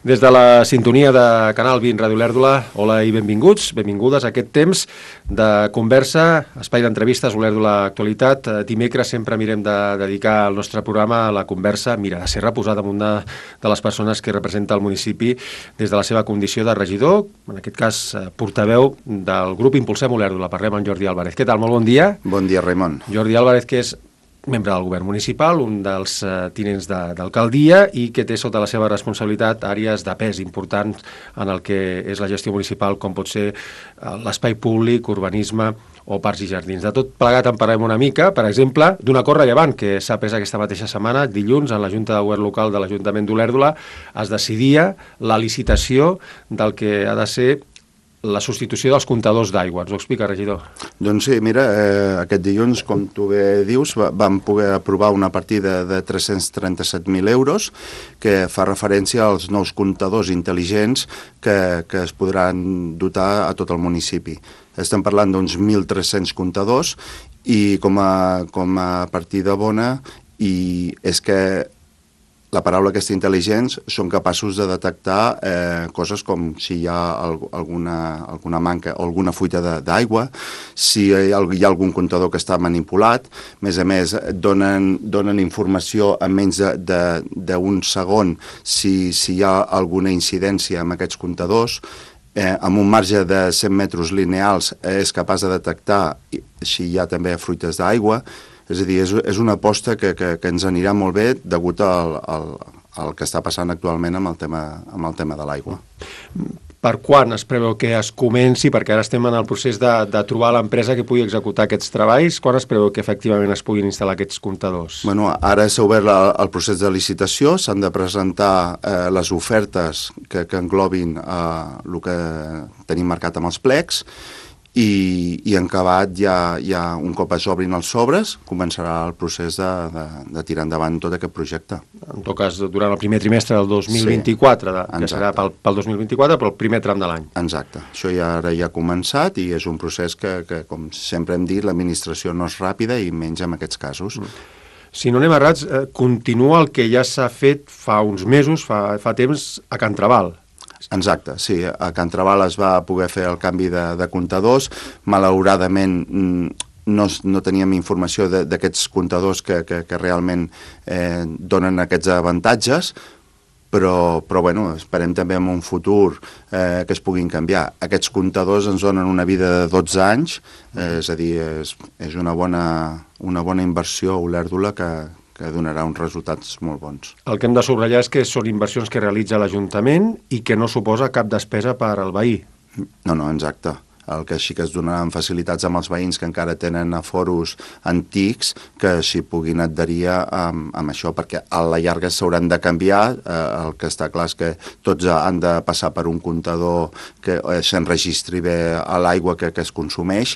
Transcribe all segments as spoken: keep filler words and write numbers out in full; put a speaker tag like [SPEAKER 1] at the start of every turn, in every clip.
[SPEAKER 1] Des de la sintonia de Canal vint Ràdio Olèrdola, hola i benvinguts, benvingudes a aquest temps de conversa, espai d'entrevistes Olèrdola Actualitat. Dimecres sempre mirem de dedicar el nostre programa a la conversa, mira, de ser reposat damunt de, de les persones que representa el municipi des de la seva condició de regidor, en aquest cas portaveu del grup Impulsem Olèrdola. Parlem amb Jordi Álvarez. Què tal? Molt bon dia.
[SPEAKER 2] Bon dia, Raimon.
[SPEAKER 1] Jordi Álvarez, que és membre del govern municipal, un dels uh, tinents d'alcaldia i que té sota la seva responsabilitat àrees de pes importants en el que és la gestió municipal, com pot ser uh, l'espai públic, urbanisme o parcs i jardins. De tot plegat en parlem una mica, per exemple, d'un acord rellevant que s'ha pres aquesta mateixa setmana, dilluns, en la Junta de Govern Local de l'Ajuntament d'Olèrdola, es decidia la licitació del que ha de ser la substitució dels comptadors d'aigua. Ens ho explica, regidor?
[SPEAKER 2] Doncs sí, mira, eh, aquest dilluns, com tu bé dius, va, vam poder aprovar una partida de tres-cents trenta-set mil euros que fa referència als nous comptadors intel·ligents que, que es podran dotar a tot el municipi. Estem parlant d'uns mil tres-cents comptadors i com a, com a partida bona i és que la paraula aquesta intel·ligents són capaços de detectar eh, coses com si hi ha alguna, alguna manca o alguna fuita d'aigua, si hi ha, hi ha algun comptador que està manipulat. A més a més, donen, donen informació en menys d'un segon si, si hi ha alguna incidència amb aquests comptadors. Eh, amb un marge de cent metres lineals és capaç de detectar si hi ha també fruites d'aigua. És a dir, és, és una aposta que, que, que ens anirà molt bé degut al, al, al que està passant actualment amb el tema, amb el tema de l'aigua.
[SPEAKER 1] Per quan es preveu que es comenci? Perquè ara estem en el procés de, de trobar l'empresa que pugui executar aquests treballs. Quan es preveu que efectivament es puguin instal·lar aquests comptadors?
[SPEAKER 2] Bueno, ara s'ha obert la, el procés de licitació, s'han de presentar eh, les ofertes que, que englobin eh, el que tenim marcat amb els plecs, I, i en acabat ja, ja un cop es obrin els sobres començarà el procés de, de, de tirar endavant tot aquest projecte.
[SPEAKER 1] En tot cas, durant el primer trimestre del dos mil vint-i-quatre, sí, de, que serà pel, pel dos mil vint-i-quatre, però el primer tram de l'any.
[SPEAKER 2] Exacte. Això ja ara ja ha començat i és un procés que, que com sempre hem dit, l'administració no és ràpida i menys en aquests casos. Mm.
[SPEAKER 1] Si no anem errats, eh, continua el que ja s'ha fet fa uns mesos, fa, fa temps, a Can Trabal.
[SPEAKER 2] Exacte, sí. A Can Trabal es va poder fer el canvi de, de comptadors. Malauradament no, no teníem informació d'aquests comptadors que, que, que realment eh, donen aquests avantatges, però, però bueno, esperem també en un futur eh, que es puguin canviar. Aquests comptadors ens donen una vida de dotze anys, eh, és a dir, és, és una, bona, una bona inversió a Olèrdola que que donarà uns resultats molt bons.
[SPEAKER 1] El que hem de subratllar és que són inversions que realitza l'Ajuntament i que no suposa cap despesa per al veí.
[SPEAKER 2] No, no, exacte. El que sí que es donaran facilitats amb els veïns que encara tenen aforos antics que s'hi puguin adherir amb, amb això, perquè a la llarga s'hauran de canviar. Eh, el que està clar és que tots han de passar per un comptador que eh, s'enregistri bé a l'aigua que, que es consumeix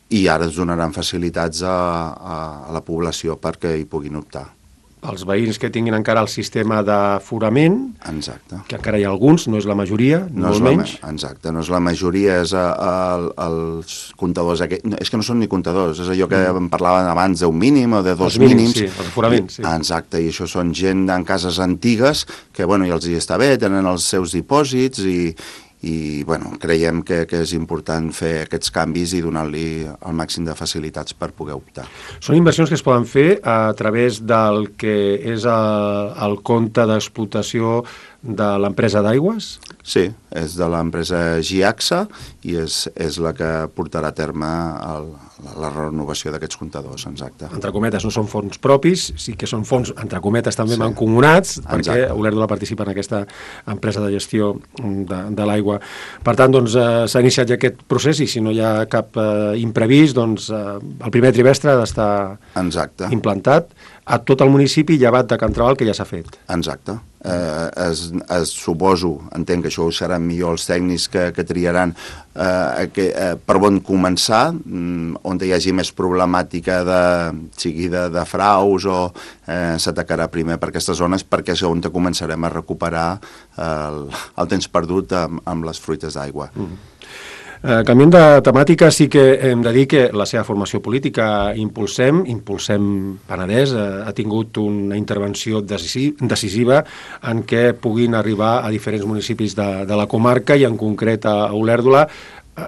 [SPEAKER 2] i ara es donaran facilitats a, a, a la població perquè hi puguin optar.
[SPEAKER 1] Els veïns que tinguin encara el sistema d'aforament,
[SPEAKER 2] exacte,
[SPEAKER 1] que encara hi ha alguns, no és la majoria,
[SPEAKER 2] no
[SPEAKER 1] molt
[SPEAKER 2] la,
[SPEAKER 1] menys.
[SPEAKER 2] Exacte, no és la majoria, és a, a, els comptadors, aquest, és que no són ni comptadors, és allò que mm. em parlaven abans d'un mínim o de dos
[SPEAKER 1] els mínims.
[SPEAKER 2] mínims.
[SPEAKER 1] Sí, els aforaments, sí.
[SPEAKER 2] Exacte, i això són gent en cases antigues que, bueno, i els hi està bé, tenen els seus dipòsits i, i bueno, creiem que, que és important fer aquests canvis i donar-li el màxim de facilitats per poder optar.
[SPEAKER 1] Són inversions que es poden fer a través del que és el, el compte d'explotació de l'empresa d'aigües?
[SPEAKER 2] Sí, és de l'empresa Giaxa i és, és la que portarà a terme el, la renovació d'aquests comptadors, exacte.
[SPEAKER 1] Entre cometes, no són fons propis, sí que són fons, entre cometes, també sí, mancomunats, perquè Olèrdola participa en aquesta empresa de gestió de, de l'aigua. Per tant, doncs, eh, s'ha iniciat ja aquest procés i si no hi ha cap eh, imprevist, doncs eh, el primer trimestre ha d'estar implantat a tot el municipi, llevat de Can Trabal, que ja s'ha fet.
[SPEAKER 2] Exacte. Eh, es, es suposo, entenc que això ho seran millor els tècnics que, que triaran eh, que, eh, per on començar, mm, on hi hagi més problemàtica de, sigui de, de fraus o eh, s'atacarà primer per aquestes zones perquè és on començarem a recuperar el, el temps perdut amb, amb les fruites d'aigua. Mm.
[SPEAKER 1] Eh, canviant de temàtica, sí que hem de dir que la seva formació política Impulsem, Impulsem Penedès, eh, ha tingut una intervenció decisiva en què puguin arribar a diferents municipis de, de la comarca i en concret a Olèrdola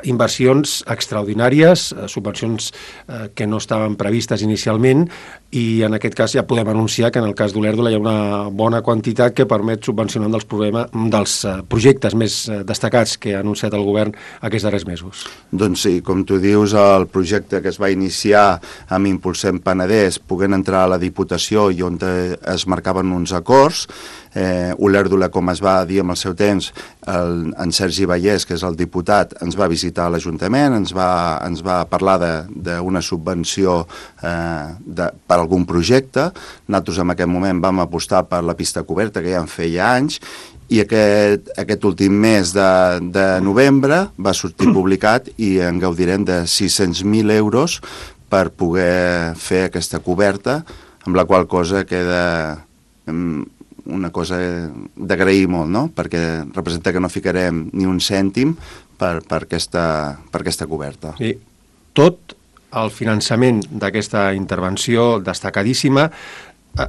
[SPEAKER 1] inversions extraordinàries, subvencions eh, que no estaven previstes inicialment, i en aquest cas ja podem anunciar que en el cas d'Olèrdola hi ha una bona quantitat que permet subvencionar un dels, problema, un dels eh, projectes més eh, destacats que ha anunciat el govern aquests darrers mesos.
[SPEAKER 2] Doncs sí, com tu dius, el projecte que es va iniciar amb Impulsem Penedès, poguent entrar a la Diputació i on es marcaven uns acords, eh, Olèrdola, com es va dir en el seu temps, el, en Sergi Vallès, que és el diputat, ens va visitar a l'Ajuntament, ens va, ens va parlar d'una subvenció eh, de, per algun projecte. Nosaltres en aquest moment vam apostar per la pista coberta, que ja en feia anys, i aquest, aquest últim mes de, de novembre va sortir publicat i en gaudirem de sis-cents mil euros per poder fer aquesta coberta, amb la qual cosa queda una cosa d'agrair molt, no? Perquè representa que no ficarem ni un cèntim per, per, aquesta, per aquesta coberta.
[SPEAKER 1] Sí. Tot el finançament d'aquesta intervenció destacadíssima eh,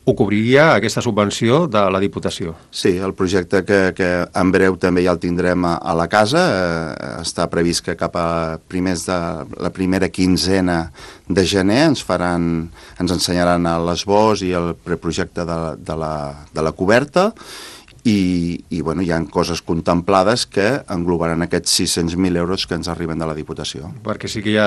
[SPEAKER 1] ho cobriria aquesta subvenció de la Diputació?
[SPEAKER 2] Sí, el projecte que, que en breu també ja el tindrem a, a la casa, eh, està previst que cap a primers de la primera quinzena de gener ens faran, ens ensenyaran l'esbós i el preprojecte de, de, la, de la coberta, i, i bueno, hi ha coses contemplades que englobaran aquests sis-cents mil euros que ens arriben de la Diputació.
[SPEAKER 1] Perquè sí que ja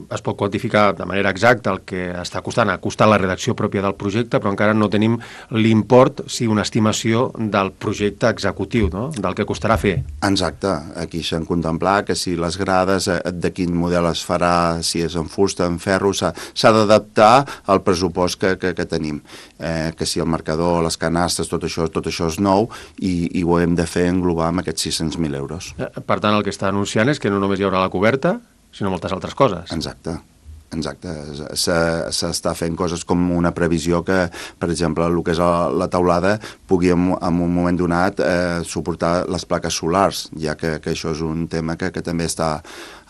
[SPEAKER 1] es pot quantificar de manera exacta el que està costant, ha costat la redacció pròpia del projecte, però encara no tenim l'import, sí, una estimació del projecte executiu, no? Del que costarà fer.
[SPEAKER 2] Exacte, aquí s'han contemplat que si les grades, de quin model es farà, si és en fusta, en ferro, s'ha d'adaptar al pressupost que, que, que tenim. Eh, que si el marcador, les canastes, tot això, tot això és nou, I, i ho hem de fer englobar amb aquests sis-cents mil euros.
[SPEAKER 1] Per tant, el que està anunciant és que no només hi haurà la coberta, sinó moltes altres coses.
[SPEAKER 2] Exacte, exacte. S'està fent coses com una previsió que, per exemple, el que és la teulada pugui en un moment donat eh, suportar les plaques solars, ja que, que això és un tema que, que també està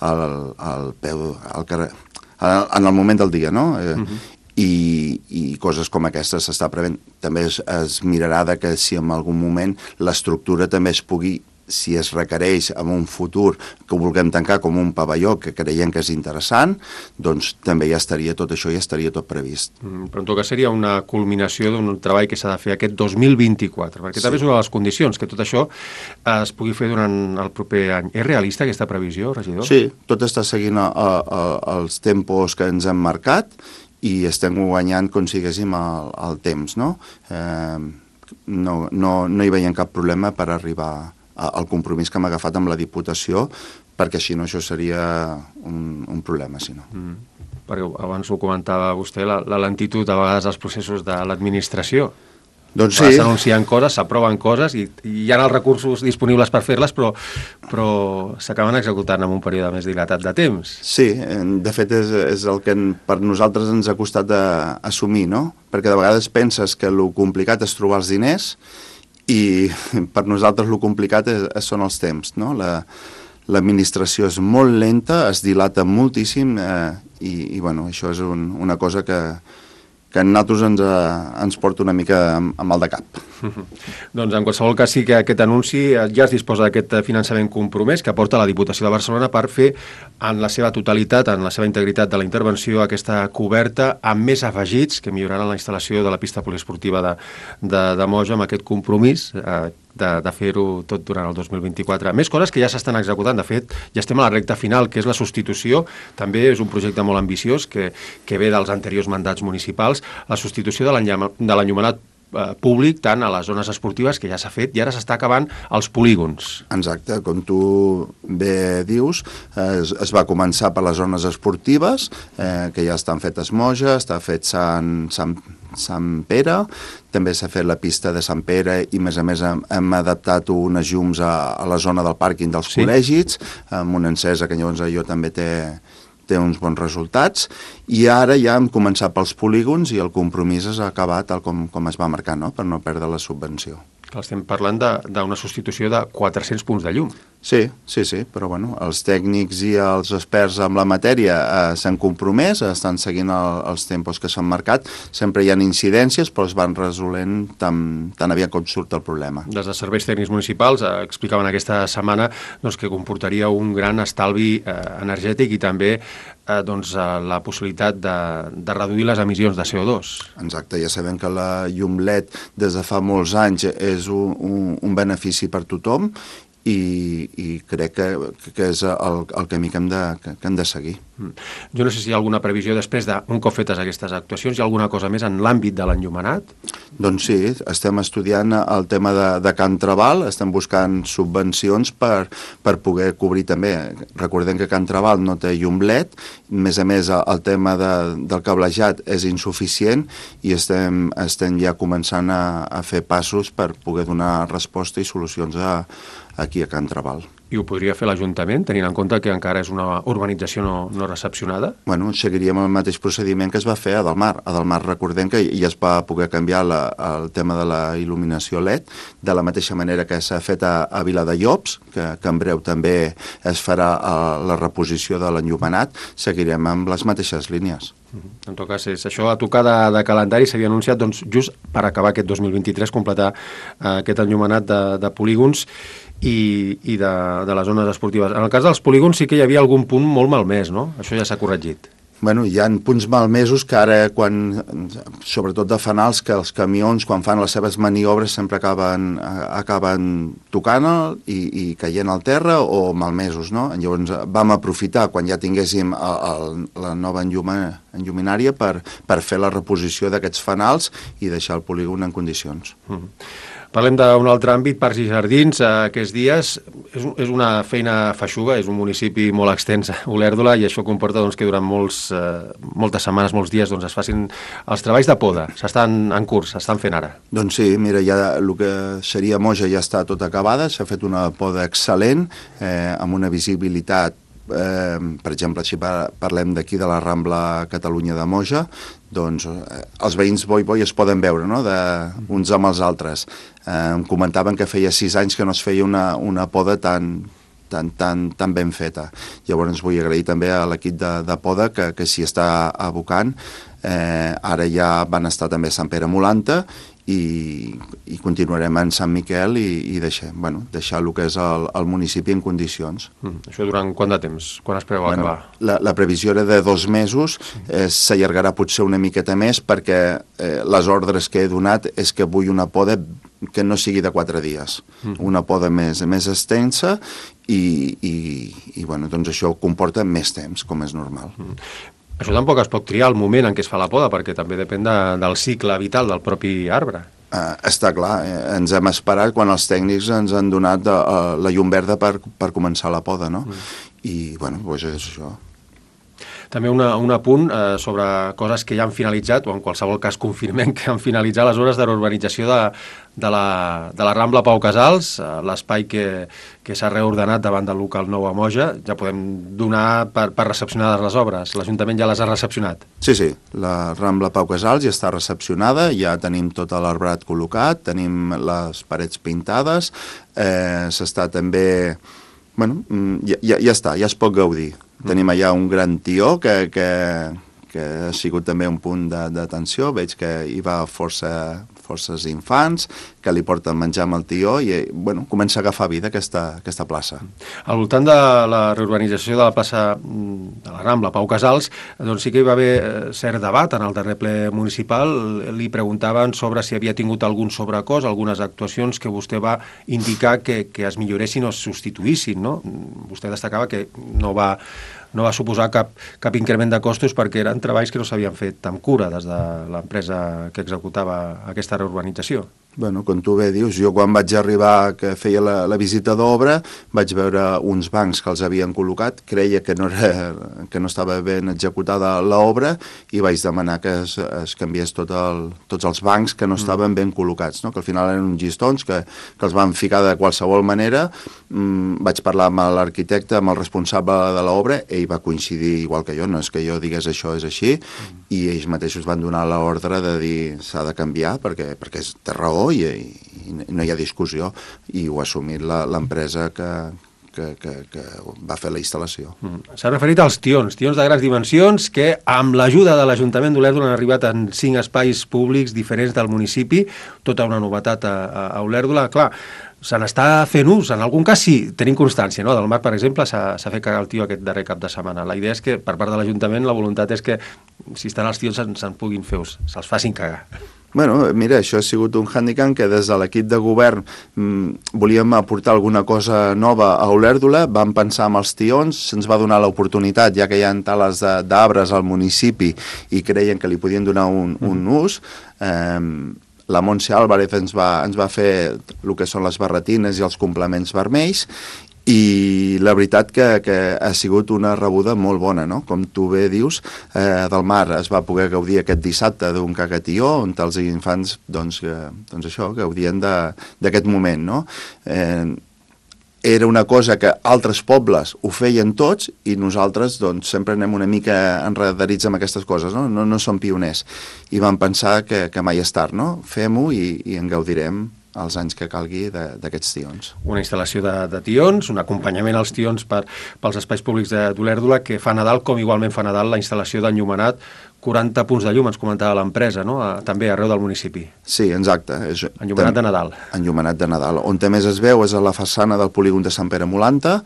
[SPEAKER 2] al, al peu, al carrer, en el moment del dia, no? Eh, uh-huh. I, i coses com aquestes s'està prevent. També es, es mirarà de que si en algun moment l'estructura també es pugui, si es requereix en un futur que ho vulguem tancar com un pavelló que creiem que és interessant, doncs també ja estaria tot això, ja estaria tot previst.
[SPEAKER 1] Mm, però en tot cas seria una culminació d'un treball que s'ha de fer aquest dos mil vint-i-quatre, perquè sí. També és una de les condicions, que tot això es pugui fer durant el proper any. És realista aquesta previsió, regidor?
[SPEAKER 2] Sí, tot està seguint a, a, a, els tempos que ens hem marcat, i estem guanyant, com siguéssim, el, el temps, no? Eh, no, no? No hi veiem cap problema per arribar a, al compromís que hem agafat amb la Diputació, perquè si no això seria un, un problema, si no.
[SPEAKER 1] Mm. Perquè abans ho comentava vostè, la, la lentitud a vegades dels processos de l'administració.
[SPEAKER 2] Doncs sí.
[SPEAKER 1] S'anuncien coses, s'aproven coses i, i hi ha els recursos disponibles per fer-les, però, però s'acaben executant en un període més dilatat de temps.
[SPEAKER 2] Sí, de fet és, és el que per nosaltres ens ha costat assumir, no? Perquè de vegades penses que el complicat és trobar els diners i per nosaltres el complicat és, són els temps, no? La, l'administració és molt lenta, es dilata moltíssim eh, i, i bueno, això és un, una cosa que que a nosaltres ens, ens porta una mica amb, amb el de cap.
[SPEAKER 1] Doncs en qualsevol cas sí que aquest anunci ja es disposa d'aquest finançament compromès que aporta la Diputació de Barcelona per fer en la seva totalitat, en la seva integritat de la intervenció, aquesta coberta amb més afegits que milloraran la instal·lació de la pista poliesportiva de, de, de Moja amb aquest compromís eh, de, de fer-ho tot durant el dos mil vint-i-quatre. Més coses que ja s'estan executant. De fet, ja estem a la recta final, que és la substitució. També és un projecte molt ambiciós que, que ve dels anteriors mandats municipals, la substitució de l'enllumenat eh, públic tant a les zones esportives, que ja s'ha fet, i ara s'està acabant als polígons.
[SPEAKER 2] Exacte, com tu bé dius, es, es va començar per les zones esportives, eh, que ja estan fetes Moja, està fet Sant, Sant, Sant Pere, també s'ha fet la pista de Sant Pere i, a més a més, hem, hem adaptat unes llums a, a la zona del pàrquing dels sí. col·legis, amb una encesa que llavors allò també té... té uns bons resultats, i ara ja hem començat pels polígons i el compromís s'ha acabat tal com, com es va marcar, no? Per no perdre la subvenció.
[SPEAKER 1] Estem parlant d'una substitució de quatre-cents punts de llum.
[SPEAKER 2] Sí, sí, sí, però bueno, els tècnics i els experts en la matèria eh, s'han compromès, estan seguint el, els tempos que s'han marcat, sempre hi ha incidències, però es van resolent tan, tan aviat com surt el problema.
[SPEAKER 1] Des de serveis tècnics municipals eh, explicaven aquesta setmana doncs, que comportaria un gran estalvi eh, energètic i també eh, doncs, eh, la possibilitat de, de reduir les emissions de C O dos.
[SPEAKER 2] Exacte, ja sabem que la llum L E D des de fa molts anys és un, un, un benefici per tothom, i, i crec que, que és el, el camí que hem de, que, que hem de seguir.
[SPEAKER 1] Jo no sé si hi ha alguna previsió després d'un cop fetes aquestes actuacions, hi ha alguna cosa més en l'àmbit de l'enllumenat?
[SPEAKER 2] Doncs sí, estem estudiant el tema de, de Can Trabal, estem buscant subvencions per, per poder cobrir també. Recordem que Can Trabal no té llum L E D, a més a més el tema de, del cablejat és insuficient i estem, estem ja començant a, a fer passos per poder donar resposta i solucions a aquí a Can Trabal.
[SPEAKER 1] I ho podria fer l'Ajuntament, tenint en compte que encara és una urbanització no, no recepcionada?
[SPEAKER 2] Bueno, seguiríem el mateix procediment que es va fer a Delmar. A Delmar recordem que ja es va poder canviar la, el tema de la il·luminació L E D, de la mateixa manera que s'ha fet a, a Viladallops, que, que en breu també es farà a, la reposició de l'enllumenat, seguirem amb les mateixes línies.
[SPEAKER 1] En tot cas, és això a tocar de, de calendari s'havia anunciat doncs, just per acabar aquest dos mil vint-i-tres, completar eh, aquest enllumenat de, de polígons i, i de, de les zones esportives. En el cas dels polígons sí que hi havia algun punt molt malmès, no? Això ja s'ha corregit.
[SPEAKER 2] Bueno, hi ha punts malmesos que ara, quan, sobretot de fanals, que els camions, quan fan les seves maniobres, sempre acaben, acaben tocant i, i caient al terra o malmesos, no? Llavors vam aprofitar, quan ja tinguéssim el, el, la nova enlluma, enlluminària, per, per fer la reposició d'aquests fanals i deixar el polígon en condicions.
[SPEAKER 1] Mm-hmm. Parlem d'un altre àmbit, parcs i jardins. Aquests dies és, és una feina feixuga, és un municipi molt extens, Olèrdola, i això comporta doncs, que durant molts, eh, moltes setmanes, molts dies, doncs, es facin els treballs de poda. S'estan en curs, s'estan fent ara.
[SPEAKER 2] Doncs sí, mira, ja el que seria Moja ja està tot acabada, s'ha fet una poda excel·lent, eh, amb una visibilitat, eh, per exemple, si parlem d'aquí de la Rambla Catalunya de Moja, doncs eh, els veïns boi boi es poden veure, no?, de, uns amb els altres. Eh, em comentaven que feia sis anys que no es feia una, una poda tan, tan, tan, tan ben feta. Llavors vull agrair també a l'equip de, de poda que, que s'hi està abocant. Eh, ara ja van estar també a Sant Pere Molanta i, i continuarem en Sant Miquel i, i deixar, bueno, deixar el que és el, el municipi en condicions.
[SPEAKER 1] Mm, això durant quant de temps? Quan es preveu
[SPEAKER 2] bueno,
[SPEAKER 1] acabar?
[SPEAKER 2] La, la previsió era de dos mesos, eh, s'allargarà potser una miqueta més perquè eh, les ordres que he donat és que vull una poda que no sigui de quatre dies, mm. una poda més, més extensa i, i, i bueno, doncs això comporta més temps, com és normal.
[SPEAKER 1] Mm. Això tampoc es pot triar el moment en què es fa la poda, perquè també depèn de, del cicle vital del propi arbre.
[SPEAKER 2] Uh, està clar, eh, ens hem esperat quan els tècnics ens han donat uh, la llum verda per, per començar la poda, no? Mm. I, bueno, doncs és això.
[SPEAKER 1] També una, un apunt eh, sobre coses que ja han finalitzat, o en qualsevol cas confirmem que han finalitzat les hores de reurbanització de, de, la, de la Rambla Pau Casals, eh, l'espai que, que s'ha reordenat davant del local nou a Moja. Ja podem donar per, per recepcionades les obres. L'Ajuntament ja les ha recepcionat.
[SPEAKER 2] Sí, sí, la Rambla Pau Casals ja està recepcionada, ja tenim tot l'arbrat col·locat, tenim les parets pintades, eh, s'està també... Bueno, ja, ja, ja està, ja es pot gaudir. Tenim allà un gran tió que, que, que ha sigut també un punt d'atenció. Veig que hi va força, forces infants, que li porten menjar amb el tió i bueno, comença a agafar vida aquesta, aquesta plaça.
[SPEAKER 1] Al voltant de la reurbanització de la plaça de la Rambla, Pau Casals, doncs sí que hi va haver cert debat en el darrer ple municipal. Li preguntaven sobre si havia tingut algun sobrecost, algunes actuacions que vostè va indicar que, que es milloressin o es substituïssin, no? Vostè destacava que no va... no va suposar cap, cap increment de costos perquè eren treballs que no s'havien fet amb cura des de l'empresa que executava aquesta reurbanització.
[SPEAKER 2] Bueno, com tu bé dius, jo quan vaig arribar que feia la, la visita d'obra vaig veure uns bancs que els havien col·locat, creia que no, era, que no estava ben executada l'obra i vaig demanar que es, es canviés tot el, tots els bancs que no estaven ben col·locats, no? Que al final eren uns llistons que, que els van ficar de qualsevol manera. Mm, vaig parlar amb l'arquitecte, amb el responsable de l'obra, ell va coincidir igual que jo, no és que jo digués això és així, mm. i ells mateixos van donar l'ordre de dir s'ha de canviar perquè, perquè té raó I, i no hi ha discussió i ho ha assumit l'empresa que, que, que, que va fer la instal·lació.
[SPEAKER 1] Mm. S'ha referit als tions, tions de grans dimensions que amb l'ajuda de l'Ajuntament d'Olèrdola han arribat en cinc espais públics diferents del municipi, tota una novetat a, a, a Olèrdola. Clar, se n'està fent ús, en algun cas sí, tenim constància, no? Del Mar, per exemple, s'ha fet cagar el tio aquest darrer cap de setmana. La idea és que, per part de l'Ajuntament, la voluntat és que, si estan els tios, se'n se puguin fer ús, se'ls facin cagar.
[SPEAKER 2] Bueno, mira, això ha sigut un hàndicap que des de l'equip de govern mmm, volíem aportar alguna cosa nova a Olèrdola, vam pensar en els tions, se'ns va donar l'oportunitat, ja que hi ha tales d'arbres al municipi i creien que li podien donar un, un ús. Eh, la Montse Álvarez ens va, ens va fer el que són les barretines i els complements vermells, i la veritat que, que ha sigut una rebuda molt bona, no? Com tu bé dius, eh, del Mar es va poder gaudir aquest dissabte d'un cagatió on els infants, doncs, eh, doncs això, gaudien d'aquest moment, no? Eh, era una cosa que altres pobles ho feien tots i nosaltres doncs, sempre anem una mica enredarits amb aquestes coses, no? No, no som pioners. I vam pensar que, que mai és tard, no? Fem-ho i, i en gaudirem els anys que calgui d'aquests tions.
[SPEAKER 1] Una instal·lació de, de tions, un acompanyament als tions per, pels espais públics d'Olèrdola, que fa Nadal, com igualment fa Nadal la instal·lació d'enllumenat, quaranta punts de llum, ens comentava l'empresa, no? A, també arreu del municipi.
[SPEAKER 2] Sí, exacte. És,
[SPEAKER 1] enllumenat de Nadal.
[SPEAKER 2] Enllumenat de Nadal. On més es veu és a la façana del polígon de Sant Pere Molanta.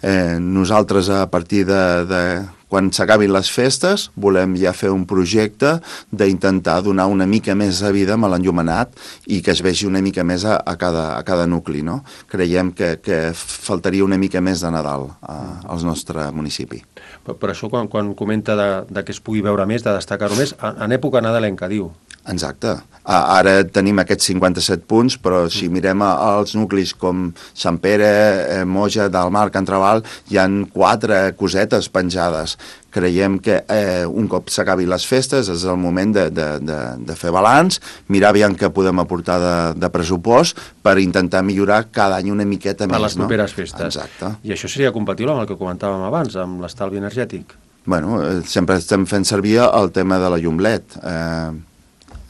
[SPEAKER 2] Eh, nosaltres, a partir de, de quan s'acabin les festes, volem ja fer un projecte d'intentar donar una mica més de vida amb l'enllumenat i que es vegi una mica més a, a, cada, a cada nucli, no? Creiem que, que faltaria una mica més de Nadal a, al nostre municipi.
[SPEAKER 1] Per, per això, quan, quan comenta de, de que es pugui veure més, de destacar-ho més, en època nadalenca, diu.
[SPEAKER 2] Exacte. Ara tenim aquests cinquanta-set punts, però si mirem els nuclis com Sant Pere, Moja, Dalmar, Can Trabal, hi han quatre cosetes penjades. Creiem que eh, un cop s'acabi les festes és el moment de, de, de, de fer balanç, mirar aviam què podem aportar de, de pressupost per intentar millorar cada any una miqueta
[SPEAKER 1] per
[SPEAKER 2] més.
[SPEAKER 1] Per les properes
[SPEAKER 2] no?
[SPEAKER 1] festes.
[SPEAKER 2] Exacte.
[SPEAKER 1] I això seria compatible amb el que comentàvem abans, amb l'estalvi energètic?
[SPEAKER 2] Bueno, sempre estem fent servir el tema de la llum L E D. Eh,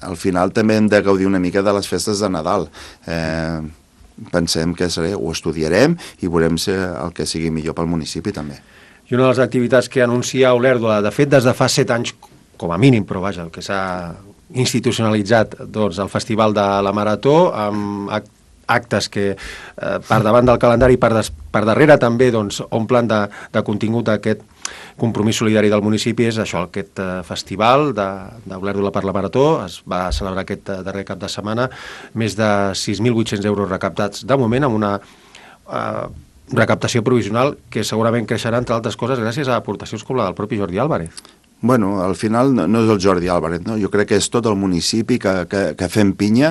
[SPEAKER 2] al final també hem de gaudir una mica de les festes de Nadal. Eh, pensem que seré, ho estudiarem i veurem si el que sigui millor pel municipi també.
[SPEAKER 1] I una de les activitats que anuncia Olèrdola, de fet des de fa set anys, com a mínim, però vaja, el que s'ha institucionalitzat, doncs, el Festival de la Marató, amb actes que eh, per davant del calendari i per, des, per darrere també doncs, omplen de, de contingut aquest compromís solidari del municipi. És això, aquest eh, festival d'Olèrdola per la Marató. Es va celebrar aquest eh, darrer cap de setmana, més de sis mil vuit-cents euros recaptats de moment, amb una eh, recaptació provisional que segurament creixerà, entre altres coses, gràcies a aportacions com la del propi Jordi Álvarez.
[SPEAKER 2] Bueno, al final no és el Jordi Álvarez, no? Jo crec que és tot el municipi que, que, que fem pinya.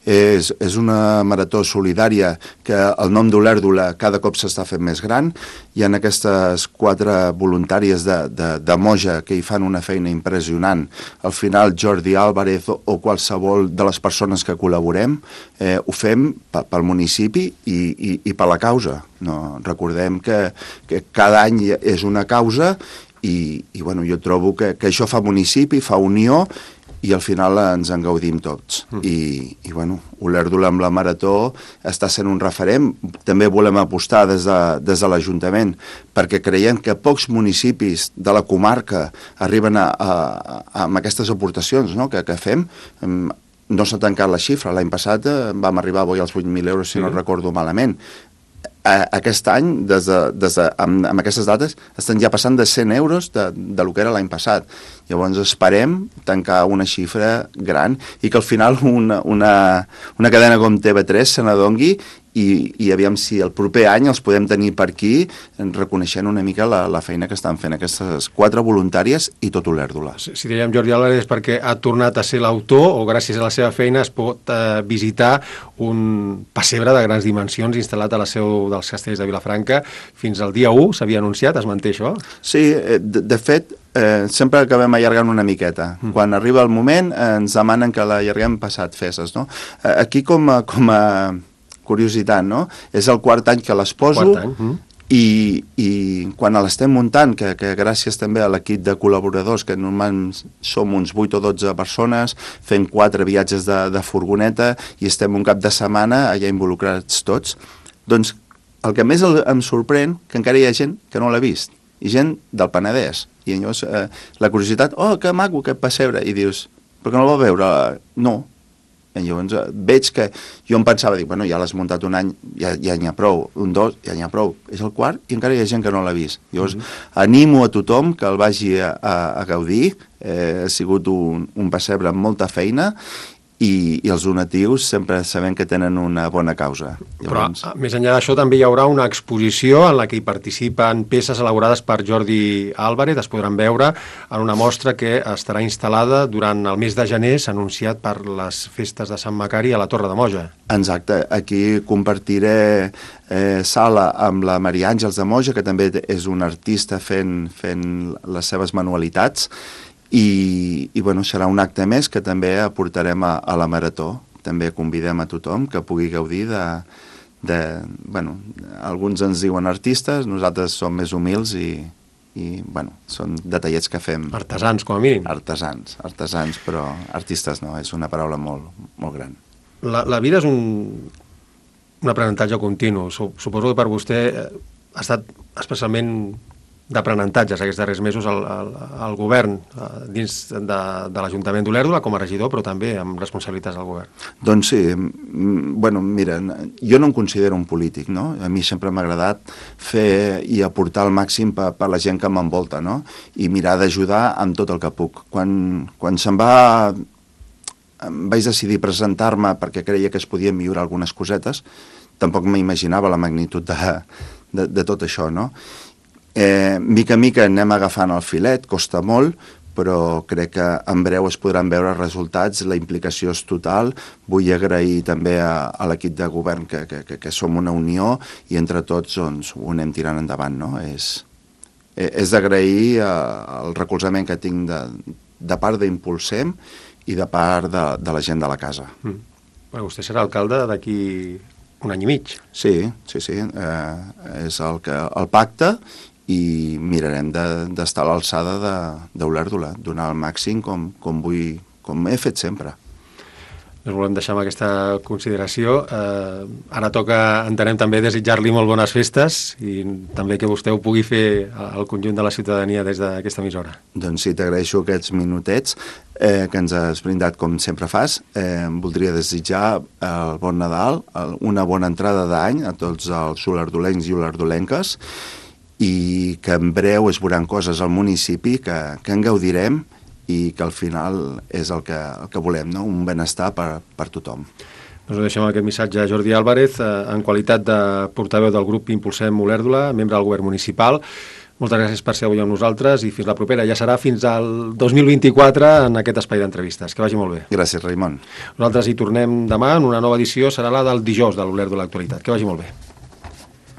[SPEAKER 2] És, és una marató solidària que el nom d'Olèrdola cada cop s'està fent més gran. Hi ha aquestes quatre voluntàries de, de, de Moja que hi fan una feina impressionant. Al final Jordi Álvarez o, o qualsevol de les persones que col·laborem eh, ho fem pel municipi i, i, i per la causa. No? Recordem que, que cada any és una causa. I, i bueno, jo trobo que, que això fa municipi, fa unió i al final ens en gaudim tots. Mm. I, i bueno, Olèrdola amb la Marató està sent un referent. També volem apostar des de, des de l'Ajuntament perquè creiem que pocs municipis de la comarca arriben a, a, a, amb aquestes aportacions, no?, que, que fem. No s'ha tancat la xifra. L'any passat vam arribar avui als vuit mil euros, si sí. no recordo malament. Aquest any, des de, des de, amb, amb aquestes dates, estan ja passant de cent euros de, de lo que era l'any passat. Llavors esperem tancar una xifra gran i que al final una, una, una cadena com T V tres se n'adongui i, i aviam si el proper any els podem tenir per aquí reconeixent una mica la, la feina que estan fent aquestes quatre voluntàries i tot Olèrdola.
[SPEAKER 1] Si, si dèiem Jordi Álvarez és perquè ha tornat a ser l'autor o gràcies a la seva feina es pot eh, visitar un pessebre de grans dimensions instal·lat a la seu dels Castells de Vilafranca. Fins al dia u s'havia anunciat, es manté això?
[SPEAKER 2] Sí, de, de fet, eh, sempre acabem allargant una miqueta. Mm. Quan arriba el moment eh, ens demanen que l'allarguem passat festes, no? Eh, aquí com a, com a curiositat, no? És el quart any que les poso.
[SPEAKER 1] Quart any. Mm.
[SPEAKER 2] I, i quan l'estem muntant, que, que gràcies també a l'equip de col·laboradors, que normalment som uns vuit o dotze persones, fent quatre viatges de, de furgoneta i estem un cap de setmana allà involucrats tots, doncs el que més el, em sorprèn que encara hi ha gent que no l'ha vist, i gent del Penedès, i llavors eh, la curiositat, oh, que maco aquest pessebre, i dius, per què no el va veure? No. I llavors eh, veig que jo em pensava, dic, bueno, ja l'has muntat un any, ja, ja n'hi ha prou, un dos, ja n'hi ha prou, és el quart i encara hi ha gent que no l'ha vist. Llavors mm-hmm. animo a tothom que el vagi a, a, a gaudir, eh, ha sigut un, un pessebre amb molta feina, i, i els donatius sempre sabem que tenen una bona causa.
[SPEAKER 1] Llavors... Però més enllà d'això també hi haurà una exposició en la que hi participen peces elaborades per Jordi Álvarez, es podran veure en una mostra que estarà instal·lada durant el mes de gener, s'ha anunciat per les festes de Sant Macari a la Torre de Moja.
[SPEAKER 2] Exacte, aquí compartiré eh, sala amb la Maria Àngels de Moja, que també és una artista fent, fent les seves manualitats, i, i bueno, serà un acte més que també aportarem a, a la Marató. També convidem a tothom que pugui gaudir de, de... Bueno, alguns ens diuen artistes, nosaltres som més humils i, i bueno, són detallets que fem.
[SPEAKER 1] Artesans, com a mínim.
[SPEAKER 2] Artesans, artesans, però artistes no, és una paraula molt, molt gran.
[SPEAKER 1] La, la vida és un, un aprenentatge continu. Suposo que per vostè ha estat especialment d'aprenentatges aquests darrers mesos al, al, al govern, dins de, de l'Ajuntament d'Olèrdola com a regidor, però també amb responsabilitats al govern.
[SPEAKER 2] Doncs sí, bueno, mira, jo no em considero un polític, no? A mi sempre m'ha agradat fer i aportar el màxim per, per la gent que m'envolta, no? I mirar d'ajudar amb tot el que puc. Quan, quan se'n va... Em vaig decidir presentar-me perquè creia que es podien millorar algunes cosetes, tampoc m'imaginava la magnitud de, de, de tot això, no? Eh, mica en mica anem agafant el filet, costa molt, però crec que en breu es podran veure resultats, la implicació és total. Vull agrair també a, a l'equip de govern que, que, que, que som una unió i entre tots doncs, ho anem tirant endavant. No? És, és d'agrair el recolzament que tinc de, de part d'Impulsem i de part de, de la gent de la casa.
[SPEAKER 1] Mm. Bueno, vostè serà alcalde d'aquí un any i mig.
[SPEAKER 2] Sí, sí, sí. Eh, és el, que, el pacte i mirarem d'estar de, a l'alçada d'Olèrdola, donar el màxim com, com, vull, com he fet sempre.
[SPEAKER 1] Ens volem deixar amb aquesta consideració. Eh, ara toca, entenem, també desitjar-li molt bones festes i també que vostè ho pugui fer al conjunt de la ciutadania des d'aquesta emissora.
[SPEAKER 2] Doncs sí, t'agraeixo aquests minutets eh, que ens has brindat com sempre fas. Eh, voldria desitjar el bon Nadal, el, una bona entrada d'any a tots els olerdolencs i olerdolenques, i que en breu es veuran coses al municipi que, que en gaudirem i que al final és el que, el que volem, no? Un benestar per, per tothom.
[SPEAKER 1] Doncs ho deixem aquest missatge a Jordi Álvarez, eh, en qualitat de portaveu del grup Impulsem Olèrdola, membre del govern municipal. Moltes gràcies per ser avui amb nosaltres i fins la propera. Ja serà fins al dos mil vint-i-quatre en aquest espai d'entrevistes. Que vagi molt bé.
[SPEAKER 2] Gràcies, Raimon.
[SPEAKER 1] Nosaltres hi tornem demà en una nova edició, serà la del dijous de l'Olèrdola Actualitat. Que vagi molt bé.